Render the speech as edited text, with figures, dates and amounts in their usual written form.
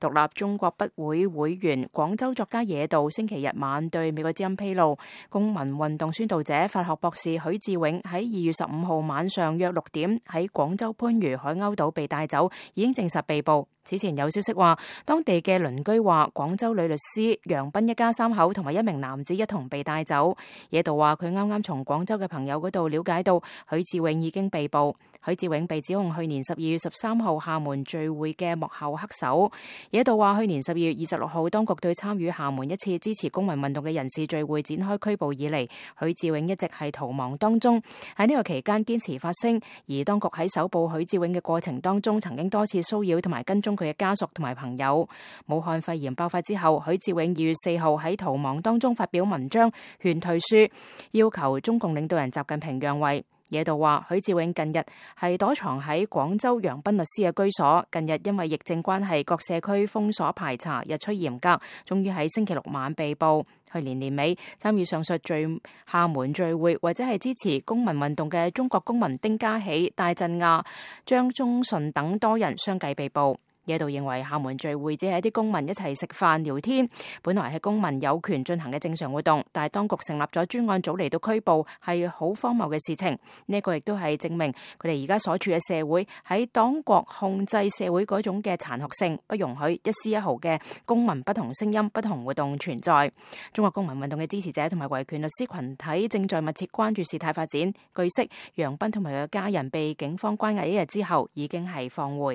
獨立中國筆會會員廣州作家野渡星期日晚對美國之音披露，公民運動宣導者法學博士許志永喺2月15號晚上約6點喺廣州番禺海鷗島被帶走，已經證實被捕。此前有消息話，當地嘅鄰居話廣州女律師楊斌一家3口同埋一名男子一同被帶走。野渡話佢啱啱從廣州嘅朋友嗰度了解到許志永已經被捕。許志永被指控去年12月13號廈門聚會嘅幕後黑手。野渡話去年12月26號當局對參與廈門一次支持公民運動嘅人士聚會展開拘捕以嚟，許志永一直係逃亡當中。喺呢個期間堅持發聲，而當局喺搜捕許志永嘅過程當中曾經多次騷擾同埋跟蹤佢嘅家屬同埋朋友。武漢肺炎爆發之後，許志永2月4號喺逃亡當中發表文章勸退書，要求中共領導人習近平讓位。野渡話許志永近日係躲藏喺廣州楊斌律師嘅居所，近日因為疫症關係，各社區封鎖排查日趨嚴格，終於喺星期六晚被捕。去年年尾參與上述廈門聚會或者係支持公民運動嘅中國公民丁家喜、戴振亞、張忠順等多人相繼被捕。野渡認為廈門聚會只係一啲公民一齊食飯聊天，本來係公民有權進行嘅正常活動，但係當局成立咗專案組嚟到拘捕，係好荒謬嘅事情。呢個亦都係證明佢哋而家所處嘅社會喺黨國控制社會嗰種嘅殘酷性，不容許一絲一毫嘅公民不同聲音、不同活動存在。中國公民運動嘅支持者同埋維權律師群體正在密切關注事態發展。據悉，楊斌同埋佢嘅家人被警方關押1日之後，已經係放回。